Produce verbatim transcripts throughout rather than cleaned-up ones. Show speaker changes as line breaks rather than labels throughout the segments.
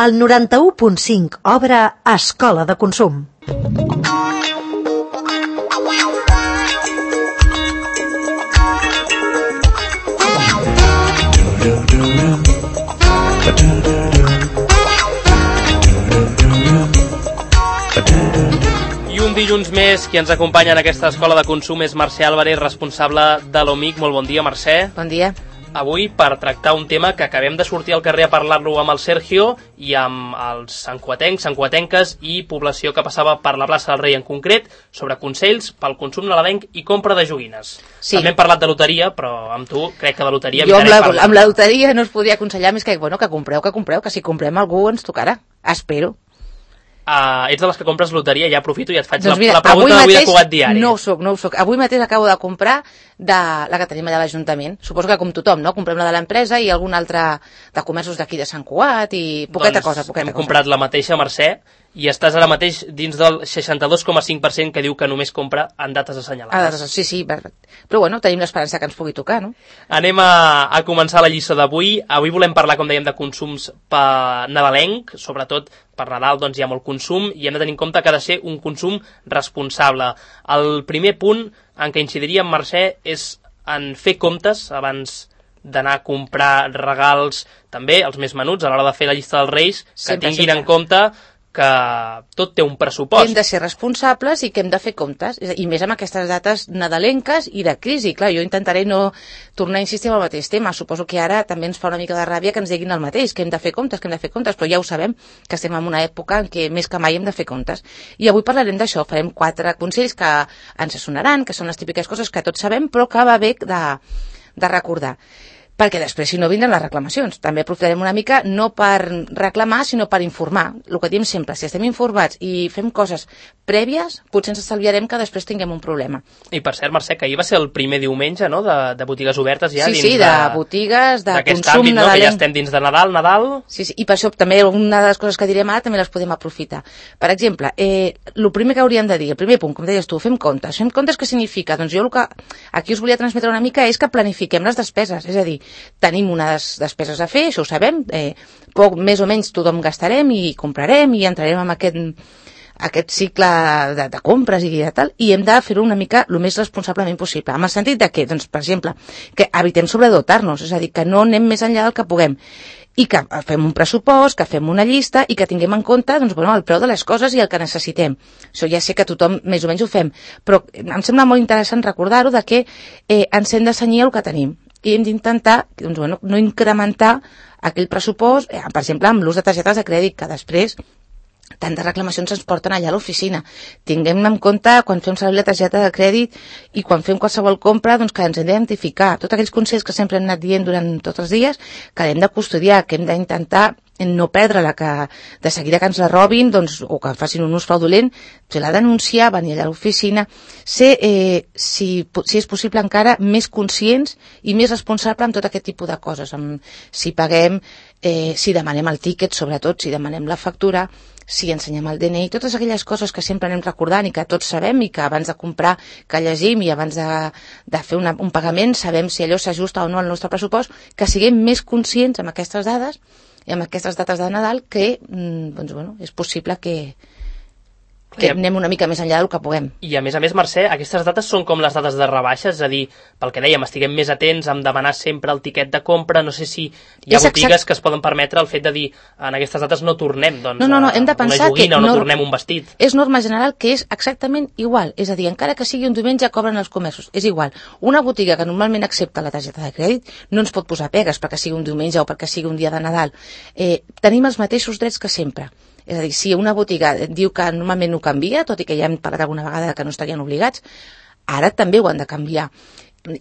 El noranta-u punt cinc obre Escola de Consum.
I un dilluns més, qui ens acompanya en aquesta Escola de Consum és Mercè Álvarez, responsable de l'O M I C. Molt bon dia, Mercè.
Bon dia.
Avui per tractar un tema que acabem de sortir al carrer a parlar-lo amb el Sergio i amb els santcuatencs, santcuatenques i població que passava per la plaça del Rei en concret, sobre consells pel consum nadalenc i compra de joguines. Sí. També hem parlat de loteria, però amb tu crec que de loteria
jo amb la, amb la loteria no us podia aconsellar més que, bueno, que compreu, que compreu, que si comprem algú ens tocarà. Espero.
Uh, ets de les que compres loteria, ja aprofito i et faig
doncs mira,
la, la pregunta d'avui de Cugat Diari.
No ho soc, no ho soc. Avui mateix acabo de comprar de la que tenim allà a l'Ajuntament. Suposo que com tothom, no? Comprem la de l'empresa i algun altre de comerços d'aquí de Sant Cugat i poqueta
doncs
cosa, poqueta
hem
cosa.
comprat la mateixa, Mercè, i estàs ara mateix dins del seixanta-dos coma cinc per cent que diu que només compra en dates assenyalades.
Ah, sí, sí, però bueno, tenim l'esperança que ens pugui tocar, no?
Anem a, a començar la lliçó d'avui. Avui volem parlar, com dèiem, de consums per nadalenc, sobretot per Nadal doncs hi ha molt consum i hem de tenir en compte que ha de ser un consum responsable. El primer punt en què incidiríem, Mercè, és en fer comptes abans d'anar a comprar regals, també els més menuts, a l'hora de fer la llista dels Reis, que sempre, tinguin sempre en compte que tot té un pressupost.
Hem de ser responsables i que hem de fer comptes, i més amb aquestes dates nadalenques i de crisi. Clar, jo intentaré no tornar a insistir en el mateix tema. Suposo que ara també ens fa una mica de ràbia que ens diguin el mateix, que hem de fer comptes, que hem de fer comptes, però ja ho sabem, que estem en una època en què més que mai hem de fer comptes. I avui parlarem d'això, farem quatre consells que ens sonaran, que són les típiques coses que tots sabem, però que va bé de, de recordar. Perquè després, si no, vindran les reclamacions. També aprofitarem una mica, no per reclamar, sinó per informar. El que diem sempre, si estem informats i fem coses prèvies, potser ens estalviarem que després tinguem un problema.
I per cert, Mercè, que ahir va ser el primer diumenge, no?, de, de botigues obertes ja.
Sí,
dins
sí, de, de botigues, de consum
àmbit,
nadalenc.
No? Que ja estem dins de Nadal, Nadal...
Sí, sí, i per això també una de les coses que direm ara també les podem aprofitar. Per exemple, eh, el primer que hauríem de dir, el primer punt, com deies tu, fem comptes. Fem comptes què significa? Doncs jo el que aquí us volia transmetre una mica és que planifiquem les despeses, és a dir, tenim unes despeses a fer, això ho sabem, eh, poc, més o menys tothom gastarem i comprarem i entrarem en aquest, aquest cicle de, de compres i de tal, i hem de fer-ho una mica el més responsablement possible. En el sentit de que, doncs, per exemple, que evitem sobredotar-nos, és a dir, que no anem més enllà del que puguem, i que fem un pressupost, que fem una llista i que tinguem en compte doncs, bueno, el preu de les coses i el que necessitem. Això ja sé que tothom més o menys ho fem, però em sembla molt interessant recordar-ho de que eh, ens hem de cenyir el que tenim i hem d'intentar doncs, bueno, no incrementar aquell pressupost, eh, per exemple, amb l'ús de targetes de crèdit, que després tantes reclamacions ens porten allà a l'oficina. Tinguem en compte quan fem servir la targeta de crèdit i quan fem qualsevol compra doncs, que ens hem d'identificar. Tots aquells consells que sempre hem anat dient durant tots els dies, que hem de custodiar, que hem d'intentar no perdre-la, que de seguida que ens la robin doncs, o que facin un ús fraudulent, se la denunciar, venir allà a l'oficina, ser, eh, si, si és possible encara, més conscients i més responsable amb tot aquest tipus de coses. Amb, si paguem, eh, si demanem el tíquet, sobretot, si demanem la factura, si ensenyem el D N I, totes aquelles coses que sempre anem recordant i que tots sabem i que abans de comprar que llegim i abans de, de fer una, un pagament sabem si allò s'ajusta o no al nostre pressupost, que siguem més conscients amb aquestes dades i amb aquestes dates de Nadal que doncs, bueno, és possible que, que anem una mica més enllà del que puguem.
I a més a més, Mercè, aquestes dates són com les dates de rebaixes, és a dir, pel que dèiem, estiguem més atents en demanar sempre el tiquet de compra, no sé si hi ha és botigues exact... que es poden permetre el fet de dir en aquestes dates no tornem doncs,
no, no, no, hem de pensar
una joguina
que
o no
nor...
tornem un vestit.
És norma general que és exactament igual, és a dir, encara que sigui un diumenge cobren els comerços, és igual. Una botiga que normalment accepta la targeta de crèdit no ens pot posar pegues perquè sigui un diumenge o perquè sigui un dia de Nadal. Eh, tenim els mateixos drets que sempre. És a dir, si una botiga diu que normalment ho canvia, tot i que ja hem parlat alguna vegada que no estarien obligats, ara també ho han de canviar.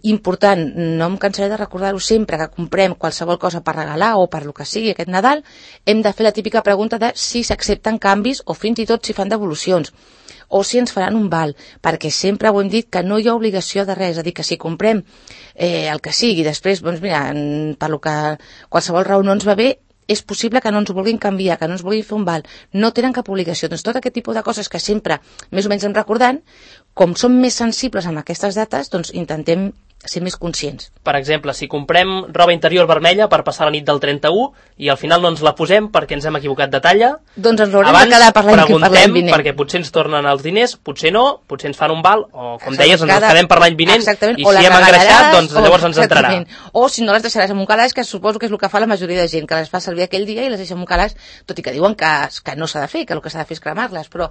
Important, no em cansaré de recordar-ho sempre, que comprem qualsevol cosa per regalar o per lo que sigui aquest Nadal, hem de fer la típica pregunta de si s'accepten canvis o fins i tot si fan devolucions o si ens faran un val, perquè sempre ho hem dit que no hi ha obligació de res, és a dir, que si comprem eh, el que sigui, després, doncs mira, per lo que qualsevol raó no ens va bé, és possible que no ens ho vulguin canviar, que no ens vulguin fer un val, no tenen cap obligació. Doncs tot aquest tipus de coses que sempre més o menys hem recordant, com som més sensibles amb aquestes dates, doncs intentem ser més conscients.
Per exemple, si comprem roba interior vermella per passar la nit del trenta-u i al final no ens la posem perquè ens hem equivocat de talla,
doncs ens l'haurem de quedar per l'any vinent.
Abans preguntem, perquè potser ens tornen els diners, potser no, potser ens fan un val, o com deies, ens els quedem per l'any vinent, i si hem engreixat, doncs llavors ens entrarà.
O si no les deixaràs en un calaix, que suposo que és el que fa la majoria de gent, que les fa servir aquell dia i les deixa en un calaix, tot i que diuen que, que no s'ha de fer, que el que s'ha de fer és cremar-les, però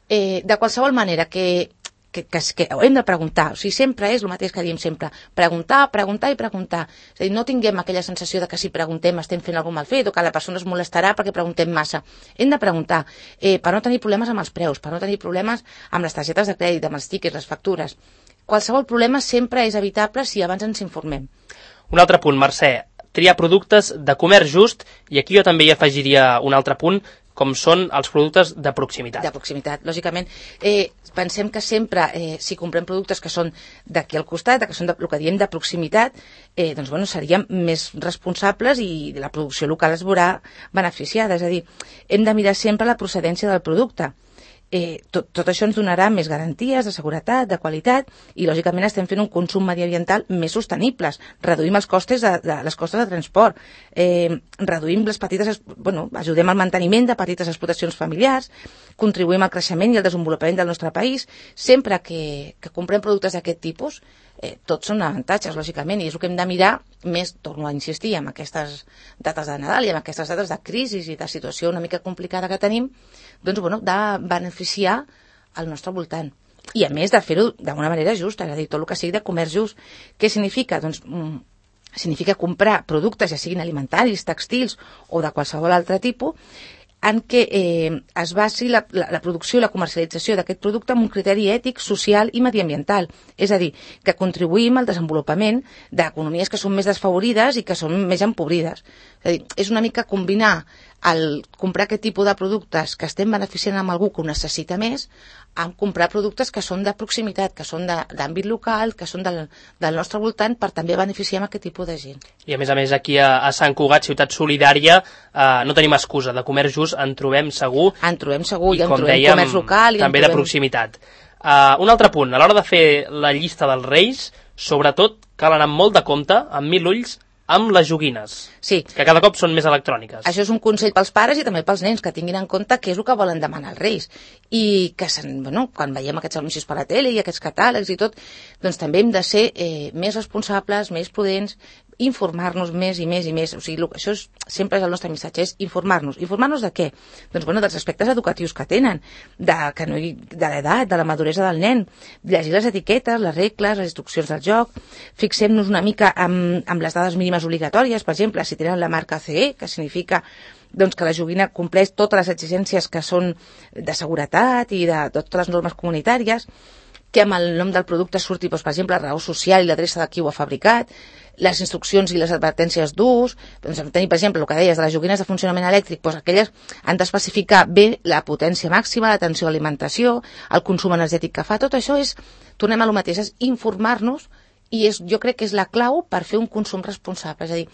eh, de qualsevol manera que Que, que, que hem de preguntar, o sigui, sempre és el mateix que diem sempre, preguntar, preguntar i preguntar. És a dir, no tinguem aquella sensació de que si preguntem estem fent alguna mal fet o que la persona es molestarà perquè preguntem massa. Hem de preguntar eh, per no tenir problemes amb els preus, per no tenir problemes amb les targetes de crèdit, amb els tickets, les factures. Qualsevol problema sempre és evitable si abans ens informem.
Un altre punt, Mercè, triar productes de comerç just, i aquí jo també hi afegiria un altre punt, com són els productes de proximitat.
De proximitat, lògicament. Eh, pensem que sempre, eh, si comprem productes que són d'aquí al costat, que són de, el que diem de proximitat, eh, doncs bueno, seríem més responsables i la producció local es veurà beneficiada. És a dir, hem de mirar sempre la procedència del producte. Eh, tot, tot això ens donarà més garanties de seguretat, de qualitat, i lògicament estem fent un consum mediambiental més sostenibles. Reduïm els costes de, de, les costes de transport, eh, reduïm les petites, bueno, ajudem al manteniment de petites explotacions familiars, contribuïm al creixement i al desenvolupament del nostre país. Sempre que, que comprem productes d'aquest tipus, eh, tots són avantatges, lògicament, i és el que hem de mirar més, torno a insistir, amb aquestes dates de Nadal i amb aquestes dates de crisi i de situació una mica complicada que tenim, doncs, bueno, de beneficiar al nostre voltant. I, a més, de fer-ho d'una manera justa, és a dir, tot el que sigui de comerç just. Què significa? Doncs, mm, significa comprar productes, ja siguin alimentaris, textils o de qualsevol altre tipus, en què eh, es basi la, la, la producció i la comercialització d'aquest producte amb un criteri ètic, social i mediambiental. És a dir, que contribuïm al desenvolupament d'economies que són més desfavorides i que són més empobrides. És a dir, és una mica combinar el comprar aquest tipus de productes que estem beneficiant amb algú que ho necessita més, amb comprar productes que són de proximitat, que són d'àmbit local, que són del, del nostre voltant, per també beneficiar amb aquest tipus de gent.
I a més a més aquí a, a Sant Cugat, Ciutat Solidària, eh, no tenim excusa, de comerç just en trobem segur.
En trobem segur, i, i en trobem
dèiem,
comerç local. I
també
trobem...
de proximitat. Uh, un altre punt, a l'hora de fer la llista dels Reis, sobretot cal anar amb molt de compte, amb mil ulls, amb les joguines,
sí,
que cada cop són més electròniques.
Això és un consell pels pares i també pels nens, que tinguin en compte què és el que volen demanar els Reis. I que, bueno, quan veiem aquests anuncis per la tele i aquests catàlegs i tot, doncs també hem de ser eh, més responsables, més prudents, informar-nos més i més i més. O sigui, això és, sempre és el nostre missatge, és informar-nos. Informar-nos de què? Doncs, bueno, dels aspectes educatius que tenen, de, que no hi, de l'edat, de la maduresa del nen, llegir les etiquetes, les regles, les instruccions del joc, fixem-nos una mica amb, amb les dades mínimes obligatòries, per exemple, si tenen la marca C E, que significa doncs, que la joguina compleix totes les exigències que són de seguretat i de, de totes les normes comunitàries, que amb el nom del producte surti, doncs, per exemple, la raó social i l'adreça de qui ho ha fabricat, les instruccions i les advertències d'ús, doncs, tenir, per exemple, el que deies de les joguines de funcionament elèctric, doncs aquelles han d'especificar bé la potència màxima, l'atenció a l'alimentació, el consum energètic que fa. Tot això és, tornem a lo mateix, és informar-nos, i és, jo crec que és la clau per fer un consum responsable. És a dir,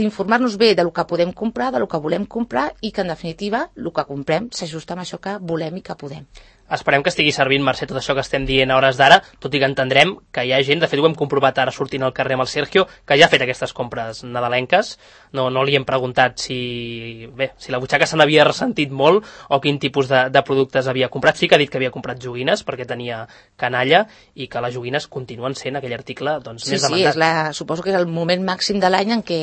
l'informar-nos bé del que podem comprar, del que volem comprar, i que, en definitiva, el que comprem s'ajusta amb això que volem i que podem.
Esperem que estigui servint, Mercè, tot això que estem dient a hores d'ara, tot i que entendrem que hi ha gent, de fet ho hem comprovat ara sortint al carrer amb el Sergio, que ja ha fet aquestes compres nadalenques. No, no li hem preguntat si, bé, si la butxaca se n'havia ressentit molt o quin tipus de, de productes havia comprat. Sí que ha dit que havia comprat joguines perquè tenia canalla i que les joguines continuen sent aquell article doncs,
sí,
més demandat.
Sí, és la, suposo que és el moment màxim de l'any en què,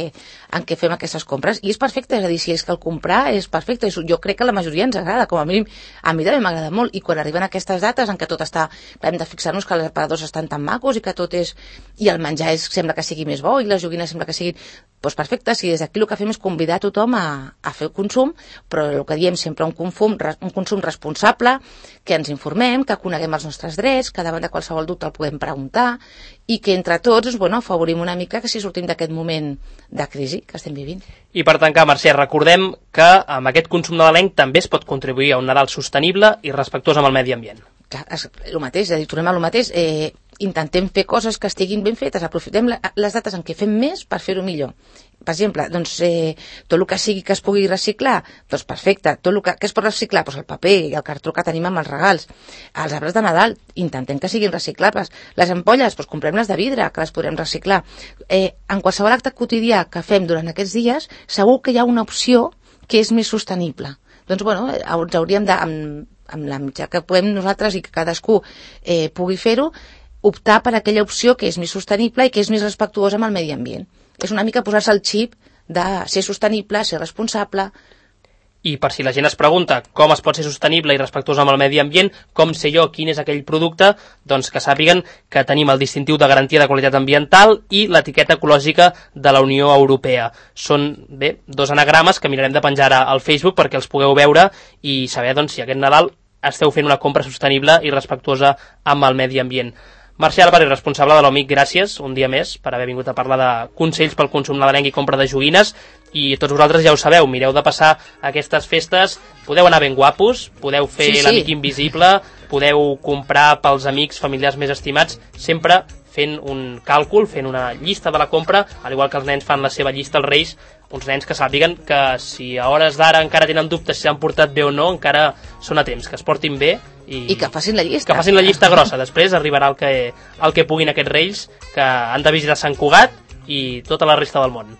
en què fem aquestes compres. I és perfecte, és a dir, si és que el comprar és perfecte. Jo crec que a la majoria ens agrada, com a mínim a mi també m'agrada molt. I quan arriben aquestes dates en què tot està, hem de fixar-nos que els aparadors estan tan macos i que tot és, i el menjar és, sembla que sigui més bo i les joguines sembla que siguin, doncs perfecte, si des d'aquí el que fem és convidar tothom a, a fer el consum, però el que diem sempre, un consum, un consum responsable, que ens informem, que coneguem els nostres drets, que davant de qualsevol dubte el podem preguntar, i que entre tots, bueno, afavorim una mica que si sortim d'aquest moment de crisi que estem vivint.
I per tancar, Mercè, recordem que amb aquest consum nadalenc també es pot contribuir a un Nadal sostenible i respectuós amb el medi ambient.
Que és el mateix, és a dir, tornem a lo mateix, eh, intentem fer coses que estiguin ben fetes, aprofitem la, les dates en què fem més per fer-ho millor. per exemple, doncs, eh, tot el que sigui que es pugui reciclar, doncs perfecte. Tot el que, que es pot reciclar? Doncs el paper i el cartró que tenim amb els regals. Els arbres de Nadal, intentem que siguin reciclables. Les ampolles, doncs comprem-les de vidre, que les podrem reciclar. Eh, en qualsevol acte quotidià que fem durant aquests dies, segur que hi ha una opció que és més sostenible. Doncs, bueno, ens hauríem de, amb, amb la mitjà que podem nosaltres i que cadascú eh, pugui fer-ho, optar per aquella opció que és més sostenible i que és més respectuosa amb el medi ambient. És una mica posar-se el xip de ser sostenible, ser responsable.
I per si la gent es pregunta com es pot ser sostenible i respectuós amb el medi ambient, com sé jo quin és aquell producte, doncs que sàpiguen que tenim el distintiu de garantia de qualitat ambiental i l'etiqueta ecològica de la Unió Europea. Són, bé, dos anagrames que mirarem de penjar al Facebook perquè els pugueu veure i saber doncs, si aquest Nadal esteu fent una compra sostenible i respectuosa amb el medi ambient. Mercè Álvarez, responsable de l'O M I C, gràcies un dia més per haver vingut a parlar de consells pel consum nadalenc i compra de joguines, i tots vosaltres ja ho sabeu, mireu de passar aquestes festes, podeu anar ben guapos, podeu fer sí, sí. l'amic invisible, podeu comprar pels amics, familiars més estimats, sempre fent un càlcul, fent una llista de la compra, al igual que els nens fan la seva llista als Reis, uns nens que sàpiguen que si a hores d'ara encara tenen dubtes si s'han portat bé o no, encara són a temps, que es portin bé i,
I que facin la llista.
Que facin la llista grossa. Després arribarà el que, el que puguin aquests Reis, que han de visitar Sant Cugat i tota la resta del món.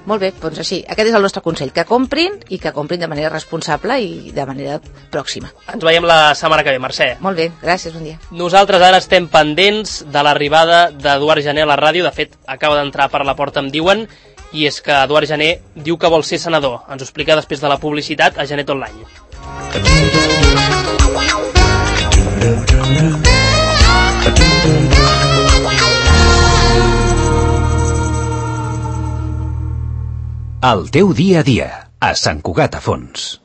Molt bé, doncs així, aquest és el nostre consell, que comprin i que comprin de manera responsable i de manera pròxima.
Ens veiem la setmana que ve, Mercè.
Molt bé, gràcies, bon dia.
Nosaltres ara estem pendents de l'arribada d'Eduard Jané a la ràdio, de fet acaba d'entrar per la porta, em diuen, i és que Eduard Jané diu que vol ser senador. Ens ho explica després de la publicitat a Janet Online.
El teu dia a dia, a Sant Cugat a Fons.